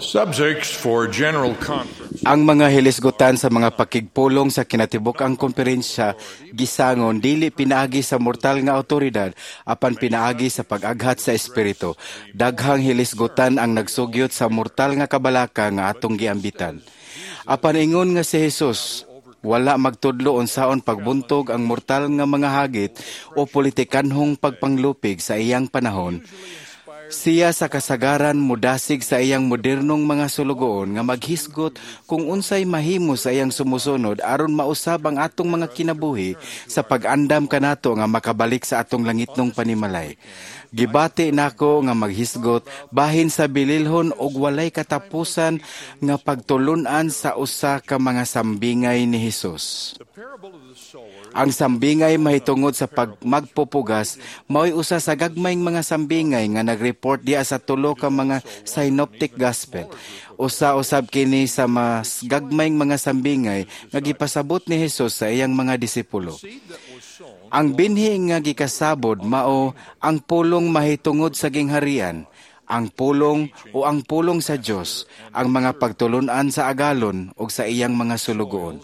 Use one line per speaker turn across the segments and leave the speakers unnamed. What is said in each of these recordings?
Subjects for General Conference.
Ang mga hilisgutan sa mga pakigpulong sa kinatibuk-ang komperensya gisangon dili pinaagi sa mortal nga awtoridad apan pinaagi sa pag-aghat sa espiritu. Daghang hilisgutan ang nagsugyot sa mortal nga kabalaka nga atong giambitan. Apan ingon nga si Jesus wala magtudlo unsaon pagbuntog ang mortal nga mga hagit o politikanhong pagpanglupig sa iyang panahon, siya sa kasagaran mudasig sa iyang modernong mga sulugoon nga maghisgot kung unsay mahimo sa iyang sumusunod aron mausab ang atong mga kinabuhi sa pag-andam kanato nga makabalik sa atong langitnong panimalay. Gibati nako nga maghisgot bahin sa bililhon og walay katapusan nga pagtulun-an sa usa ka mga sambingay ni Hesus.
The parable of the sower
Ang sambingay mahitungod sa pagmagpupugas mao'y usa sa gagmayng mga sambingay nga nag-report diha sa tulo ka mga synoptic gospel. Usa usab kini sa mas gagmayng mga sambingay nga gipasabot ni Hesus sa iyang mga disipulo.
Seed that was sown
Ang binhi nga gikasabod mao ang pulong mahitungod sa gingharian, ang pulong o ang pulong sa Dios, ang mga pagtulun-an sa agalon ug sa iyang mga sulugoon.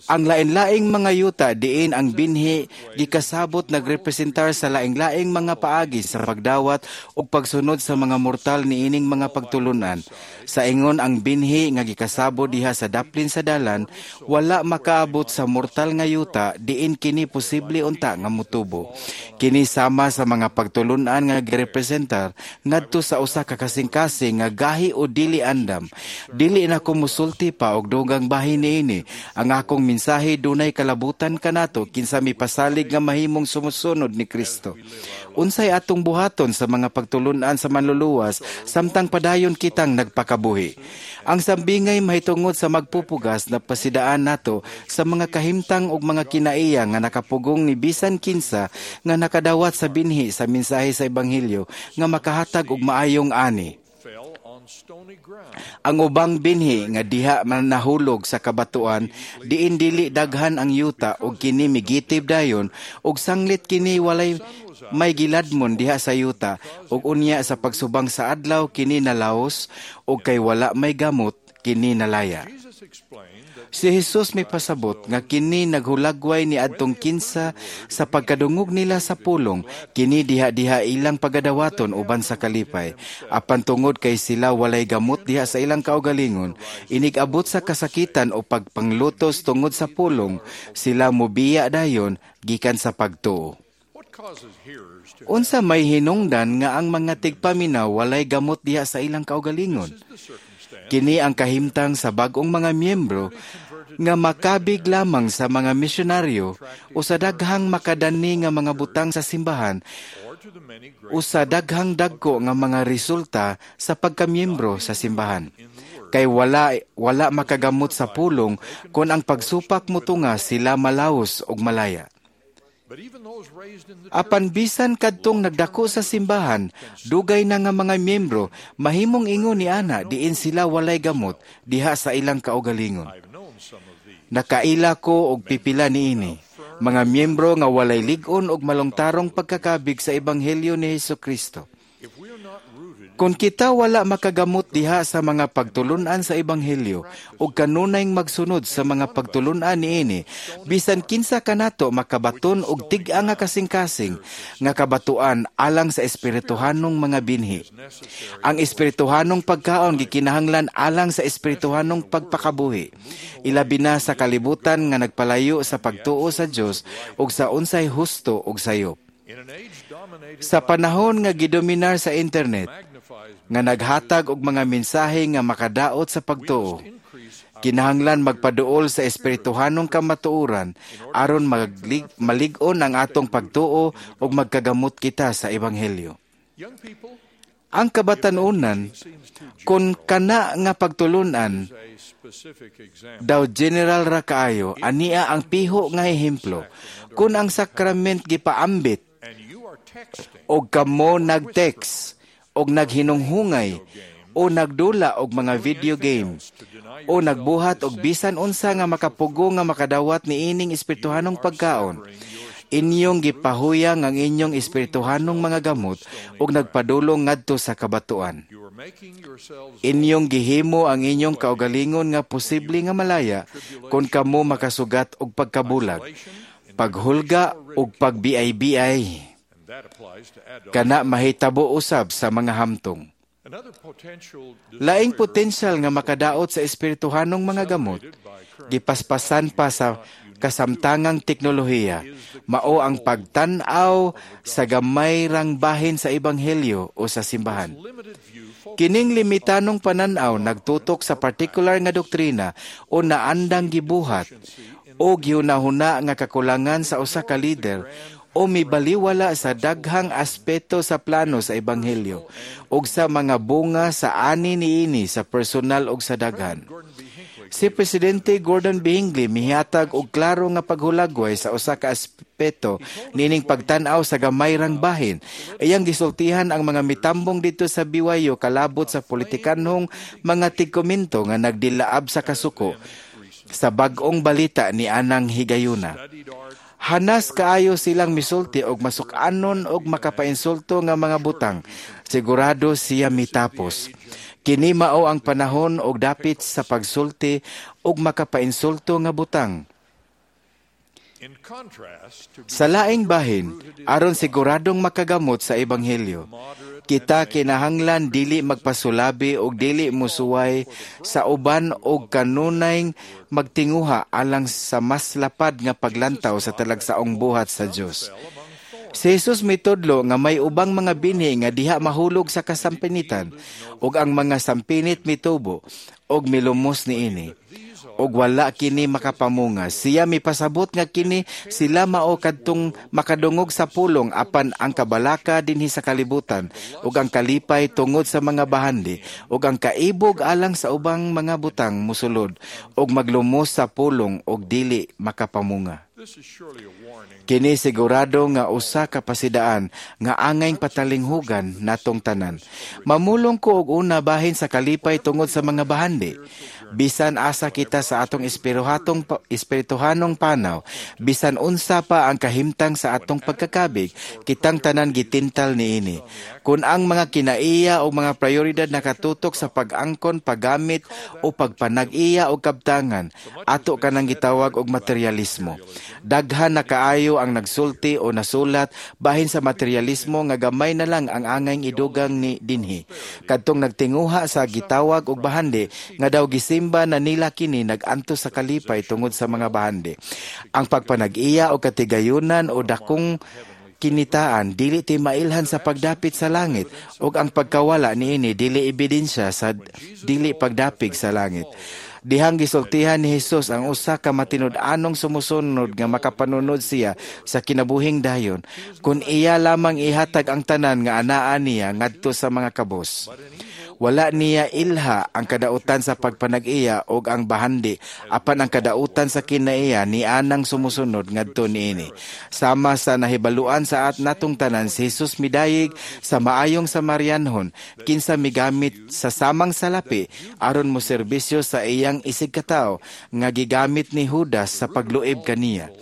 Ang lain-laing mga yuta diin ang binhi gikasabot nagrepresentar sa laing-laing mga paagi sa pagdawat ug pagsunod sa mga mortal niining mga pagtulunan. Sa ingon, ang binhi nga gikasabot diha sa daplin sa dalan wala makaabot sa mortal nga yuta diin kini posible unta nga motubo. Kini sama sa mga pagtulunan nga girepresentar ngadto sa usa ka kasing-kasing nga gahi o dili andam. Dili na ko musulti pa og dugang bahin niini. Ang akong mensahe dunay kalabutan kanato kinsa mipasalig nga mahimong sumusunod ni Kristo. Unsay atong buhaton sa mga pagtulunan sa manluluwas samtang padayon kitang nagpakabuhi? Ang sambingay mahitungod sa magpupugas na pasidaan nato sa mga kahimtang ug mga kinaiya nga nakapugong ni bisan kinsa nga nakadawat sa binhi sa mensahe sa ebanghelyo nga makahatag og maayong ani.
Fell on stony ground.
Ang ubang binhi nga diha man nahulog sa kabatuan diin dili daghan ang yuta ug kini migitib dayon ug sanglit kini walay may giladmon diha sa yuta ug unya sa pagsubang sa adlaw kini nalaos ug kay wala may gamot kini nalaya.
Jesus explained that
Si Jesus may pasabot nga kini naghulagway ni adtong kinsa sa pagkadungog nila sa pulong, kini diha-diha ilang pagadawaton uban sa kalipay. Apan tungod kay sila walay gamot diha sa ilang kaugalingon, inig-abot sa kasakitan o pagpanglutos tungod sa pulong, sila mobiya dayon gikan sa pagtuo.
What causes hearers to
Unsa may hinungdan nga ang mga tigpaminaw walay gamot diha sa ilang kaugalingon?
This is the circumstance
Kini ang kahimtang sa bag-ong mga miyembro nga makabig lamang sa mga misyonaryo o sa daghang makadani nga mga butang sa simbahan
or to the many great
o sa daghang dagko nga mga resulta sa pagkamiyembro sa simbahan. Kay wala wala makagamot sa pulong kon ang pagsupak motunga sila malaos og malaya.
But even those raised in the
Apan bisan kadtong nagdako sa simbahan, dugay na nga mga miyembro, mahimong ingon ni ana diin sila walay gamot diha sa ilang kaugalingon.
I've known some of these.
Nakaila ko og pipila niini. Mga miyembro nga walay lig-on og malungtarong pagkakabig sa ebanghelyo ni Hesukristo.
If we are not rooted
Kung kita wala makagamot diha sa mga pagtulunan sa ebanghelyo ug kanunayng magsunod sa mga pagtulunan niini, bisan kinsa kanato makabaton og tig-a nga kasing-kasing nga kabatuan alang sa espirituhanong mga binhi.
necessary
Ang espirituhanong pagkaon gikinahanglan alang sa espirituhanong pagpakabuhi. Ilabi na sa kalibutan nga nagpalayo sa pagtuo sa Dios ug sa unsay husto ug sayop.
In an age dominated
Sa panahon nga gidominar sa internet,
magnifies
nga naghatag og mga mensahe nga makadaot sa pagtuo,
increase
kinahanglan magpaduol sa espirituhanong kamatuoran aron malig-on ang atong pagtuo ug magkagamot kita sa ebanghelyo.
Young people
Ang kabatanunan,
seems too
kung kana nga pagtulunan
a specific example.
daw general ra kaayo, ania ang piho nga ehemplo. Kung ang sakrament gipaambit
And you are texting
og kamo nag-text og naghinunghungay o nagdula og mga video game o nagbuhat og bisan unsa nga makapugo nga makadawat niining espirituhanong pagkaon, Inyong gipahuyang ang inyong espirituhanong mga gamot ug nagpadulong ngadto sa kabatuan.
You are making yourselves
Inyong gihimo ang inyong kaugalingon nga posible nga malaya kung kamo makasugat og pagkabulag, paghulga ug pagbiay-biay.
And that applies to adults.
Kana mahitabo usab sa mga hamtong.
Another potential
Laing
destroyer
potensyal nga makadaot sa espirituhanong mga gamot, gipaspasan pa sa kasamtangang teknolohiya, mao ang pagtan-aw sa gamay rang bahin sa ebanghelyo o sa simbahan.
Limited view focuses
Kining limitanong pananaw nagtutok sa partikular nga doktrina o naandang gibuhat o gihunahuna nga kakulangan sa usa ka lider o mibaliwala sa daghang aspeto sa plano sa ebanghelyo ug sa mga bunga sa ani niini sa personal ug sa daghan.
Gordon B. Hinckley
Si Presidente Gordon B. Hinckley mihatag og klaro nga paghulagway sa usa ka aspeto niining pagtan-aw sa gamay rang bahin. Iyang gisultihan ang mga mitambong didto sa BYU kalabot sa politikanhong mga tigkomento nga nagdilaab sa kasuko sa bag-ong balita ni anang higayuna.
Studied art
Hanas kaayo silang misulti og masuk-anon og makapainsulto nga mga butang. Sigurado siya mitapos. Kini mao ang panahon og dapit sa pagsulti og makapainsulto nga butang.
In contrast to
Sa laing bahin, aron siguradong makagamot sa ebanghelyo, kita kinahanglan dili magpasulabi og dili musuway sa uban og kanunay magtinguha alang sa mas lapad nga paglantaw sa talagsaong buhat sa Dios. Si Jesus mitudlo nga may ubang mga binhi nga diha mahulog sa kasampinitan ug ang mga sampinit mitubo ug milumos niini ug wala kini makapamunga. Siya mipasabot nga kini sila mao kadtong makadungog sa pulong, apan ang kabalaka dinhi sa kalibutan ug ang kalipay tungod sa mga bahandi ug ang kaibog alang sa ubang mga butang musulod ug maglumos sa pulong ug dili makapamunga.
This is surely a warning.
Kini sigurado nga usa ka pasidaan nga angayng patalinghugan natong tanan. Mamulong ko og una bahin sa kalipay tungod sa mga bahandi. Bisan asa kita sa atong espirituhanong panaw, bisan unsa pa ang kahimtang sa atong pagkakabig, kitang tanan gitintal niini. Kung ang mga kinaiya o mga prioridad nakatutok sa pag-angkon, paggamit o pagpanag-iya o kabtangan, ato kanang gitawag og materialismo. Daghan na kaayo ang nagsulti o nasulat bahin sa materialismo nga gamay na lang ang angayng idugang ni dinhi. Kadtong nagtinguha sa gitawag og bahandi nga daw gisimba na nila kini, nag-antos sa kalipay tungod sa mga bahandi. Ang pagpanag-iya o katigayunan o dakong kinitaan dili ti mailhan sa pagdapit sa langit ug ang pagkawala niini dili ebidensya sa dili pagdapig sa langit. Dihang gisultihan ni Hesus ang usa ka matinud-anong sumusunod nga makapanunod siya sa kinabuhing dayon kung iya lamang ihatag ang tanan nga anaa niya ngadto sa mga kabos. Wala niya ilha ang kadautan sa pagpanag-iya og ang bahandi, apan ang kadautan sa kinaiya ni anang sumusunod ngadto niini. Sama sa nahibaluan sa at natong tanan, si Jesus midayig sa maayong Samarianhon kinsa migamit sa samang salapi aron mo serbisyo sa iyang isig katawo nga gigamit ni Judas sa pagluib kaniya.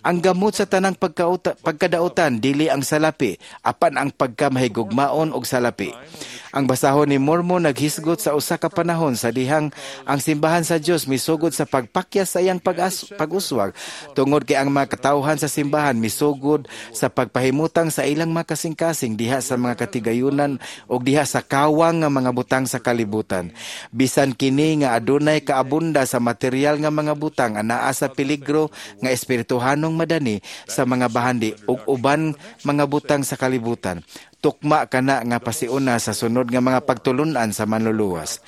Ang gamot sa tanang pagkadautan dili ang salapi, apan ang pagkamahigugmaon og salapi. Ang basahon ni Mormon naghisgot sa usa ka panahon sa dihang ang simbahan sa Dios misugod sa pagpakyas sa iyang pag-uswag tungod kay ang mga katawhan sa simbahan misugod sa pagpahimutang sa ilang mga kasing-kasing diha sa mga katigayunan og diha sa kawang nga mga butang sa kalibutan. Bisan kini nga adunay kaabunda sa material nga mga butang, anaa sa peligro nga espirituhanong madani sa mga bahandi ug uban mga butang sa kalibutan. Tukma kana nga pasiuna sa sunod nga mga pagtulunan sa manluluwas.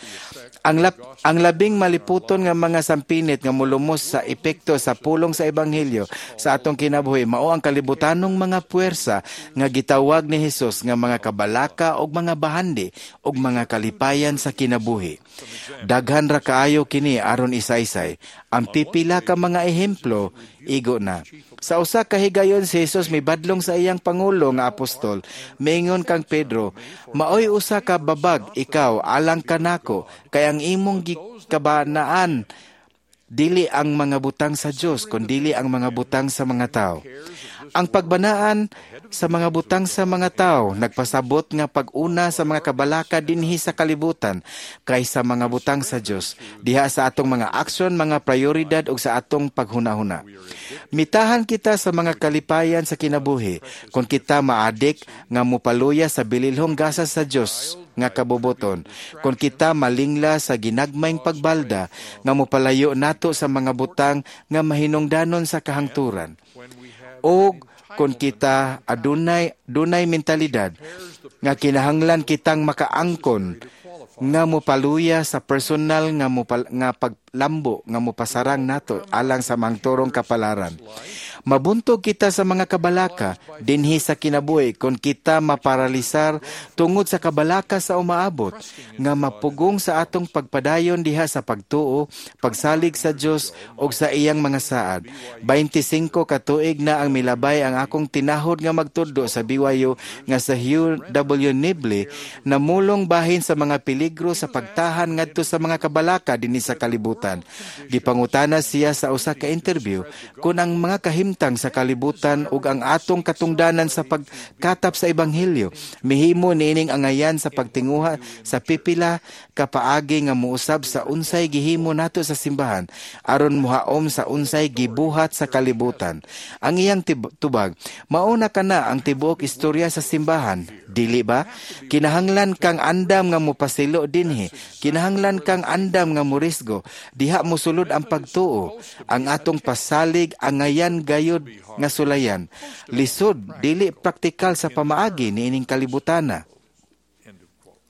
Ang labing maliputon nga mga sampinit nga molumos sa epekto sa pulong sa ebanghelyo sa atong kinabuhi mao ang kalibutanong mga puwersa nga gitawag ni Hesus nga mga kabalaka og mga bahandi og mga kalipayan sa kinabuhi. Daghan ra kaayo kini aron isaysay. Ang pipila ka mga ehemplo igo na. Sa usa ka higayon, si Jesus mibadlong sa iyang pangulo nga apostol. Mingon kang Pedro, "Maoy usa ka babag ikaw alang kanako, kay ang imong gikabanaan dili ang mga butang sa Dios kundili ang mga butang sa mga tao." Ang pagbanaan sa mga butang sa mga tao nagpasabot nga pag-una sa mga kabalaka dinhi sa kalibutan kaysa mga butang sa Dios diha sa atong mga aksyon, mga prioridad ug sa atong paghunahuna. Mitahan kita sa mga kalipayan sa kinabuhi kung kita maadik nga mopaluya sa bililhong gasa sa Dios nga kabubuton, kung kita malingla sa ginagmayng pagbalda nga mopalayo nato sa mga butang nga mahinungdanon sa kahangturan, o kung kita adunay dunay mentalidad nga kinahanglan kitang makaangkon nga mopaluya sa personal nga paglambo nga mopasarang nato alang sa mangturong kapalaran. Mabuntog kita sa mga kabalaka dinhi sa kinabuhi kung kita maparalisar tungod sa kabalaka sa umaabot nga mapugong sa atong pagpadayon diha sa pagtuo, pagsalig sa Dios ug sa iyang mga saad. 25 ka tuig na ang milabay ang akong tinahod nga magtudlo sa BYU nga sa Hugh W. Nibley namulong bahin sa mga peligro sa pagtahan ngadto sa mga kabalaka dinhi sa kalibutan. Gipangutana siya sa usa ka interview kung ang mga kahimtang sa kalibutan ug ang atong katungdanan sa pagkatap sa ebanghelyo mihimo niining angayan sa pagtinguha sa pipila ka paagi nga mousab sa unsay gihimo nato sa simbahan aron mohaom sa unsay gibuhat sa kalibutan. Ang iyang tubag, "Mauna kana ang tibuok istorya sa simbahan, dili ba? Kinahanglan kang andam nga mopasilo dinhi. Kinahanglan kang andam nga morisgo. Diha mosulod ang pagtuo. Ang atong pasalig angayan gayud nga sulayan. Lisod, dili praktikal sa pamaagi niining kalibutana."
End of quote.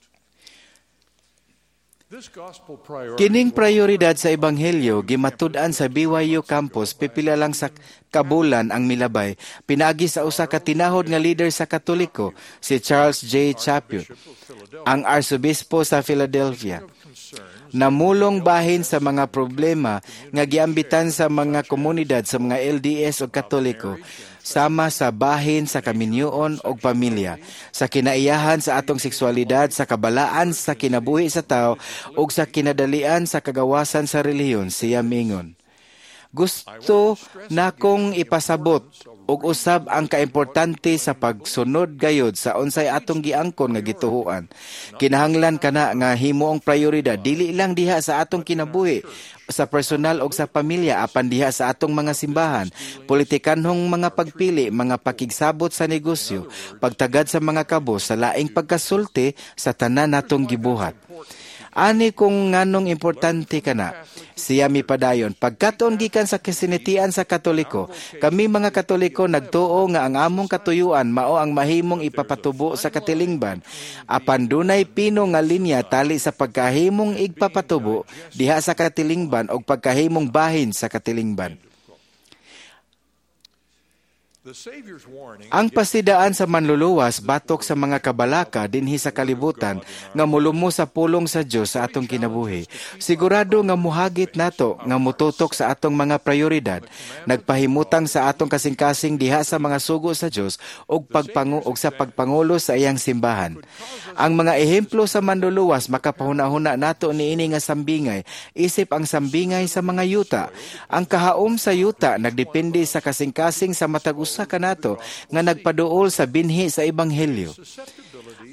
This gospel priority
Kining prioridad sa ebanghelyo gimatud-an sa BYU campus pipila lang sa kabulan ang milabay pinaagi sa usa ka tinahod nga leader sa Katoliko, si Charles J. Chaput, ang arsobispo sa Philadelphia. Namulong bahin sa mga problema nga giambitan sa mga komunidad sa mga LDS o Katoliko, sama sa bahin sa kaminyoon og pamilya, sa kinaiyahan sa atong sexualidad, sa kabalaan sa kinabuhi sa tao ug sa kinadalian sa kagawasan sa relihiyon, siya mingon. "Gusto nakong ipasabot ug usab ang kaimportante sa pagsunod gayod sa unsay atong giangkon nga gituhuan. Kinahanglan kana nga himuong prioridad dili lang diha sa atong kinabuhi sa personal og sa pamilya apan diha sa atong mga simbahan, politikanhong mga pagpili, mga pakigsabot sa negosyo, pagtagad sa mga kabos, sa laing pagkasulti sa tanan natong gibuhat. Ani kung nganong importante kana," siya mipadayon. "Pagkatuon gikan sa kasinatian sa Katoliko, kami mga Katoliko nagtuo nga ang among katuyuan mao ang mahimong ipapatubo sa katilingban. Apan dunay pino nga linya tali sa pagkahimong igpapatubo diha sa katilingban og pagkahimong bahin sa katilingban."
The Savior's warning
Ang pasidaan sa Manluluwas batok sa mga kabalaka dinhi sa kalibutan nga molumo sa pulong sa Dios sa atong kinabuhi. Sigurado nga muhagit nato nga mututok sa atong mga prioridad, nagpahimutang sa atong kasing-kasing diha sa mga sugo sa Dios ug sa pagpangulo sa iyang simbahan. Ang mga ehemplo sa Manluluwas makapahuna-huna nato niini nga sambingay, isip ang sambingay sa mga yuta. Ang kahaom sa yuta nagdepende sa kasing-kasing sa matag usa kanato nga nagpaduol sa binhi sa ebanghelyo.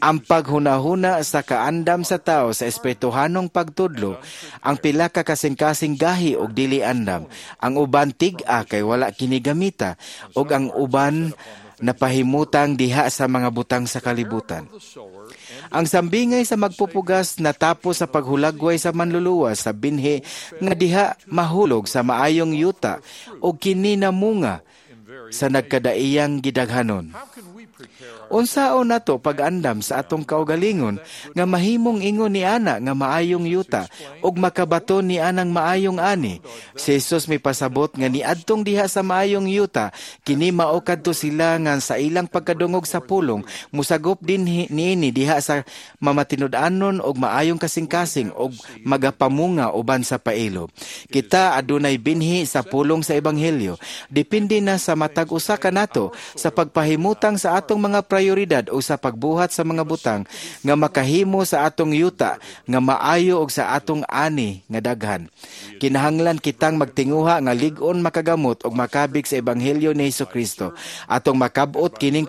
Ang paghunahuna sa kaandam sa tao sa espirituhanong pagtudlo, ang pila ka kasing-kasing gahi og dili andam, ang uban tig-a kay wala kini gamita, ug ang uban napahimutang diha sa mga butang sa kalibutan.
The sower and
Ang sambingay sa magpupugas natapos sa paghulagway sa Manluluwas sa binhi nga diha mahulog sa maayong yuta ug kini namunga
in various
sa nagkadaiyang gidaghanon.
How can we prepare our
Unsaon nato pag-andam sa atong kaugalingon nga mahimong ingon ni ana nga maayong yuta ug makabaton ni anang maayong ani? Si Jesus mipasabot nga niadtong diha sa maayong yuta kini mao kadto sila nga sa ilang pagkadungog sa pulong musagop din niini diha sa mamatinud-anon og maayong kasing-kasing og magapamunga uban sa pailo. Kita adunay binhi sa pulong sa ebanghelyo. Depende na sa matag usa kanato sa pagpahimutang sa atong atong mga prioridad o sa pagbuhat sa mga butang nga makahimo sa atong yuta nga maayo og sa atong ani nga daghan. Kinahanglan kitang magtinguha nga lig-on makagamot og makabig sa ebanghelyo ni Hesukristo. Atong makab-ot kining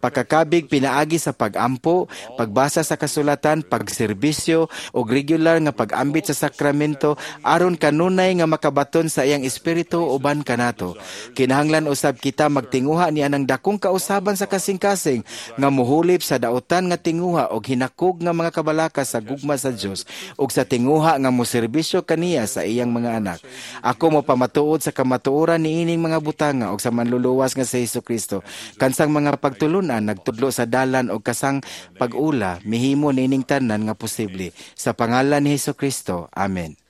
pakakabig pinaagi sa pag-ampo, pagbasa sa kasulatan, pagserbisyo og regular nga pag-ambit sa sakramento aron kanunay nga makabaton sa iyang espiritu uban kanato. Kinahanglan usab kita magtinguha niya ng dakong kausaban sa kasing-kasing nga muhulip sa dautan nga tinguha og hinakog nga mga kabalaka sa gugma sa Dios ug sa tinguha nga moserbisyo kaniya sa iyang mga anak. Ako mo pamatuod sa kamatuoran niining mga butanga og sa manluluwas nga sa Hesukristo. Kansang mga pagtulunan nagtudlo sa dalan og kasang pag-ula mihimo niining tanan nga posible. Sa pangalan ni Hesukristo. Amen.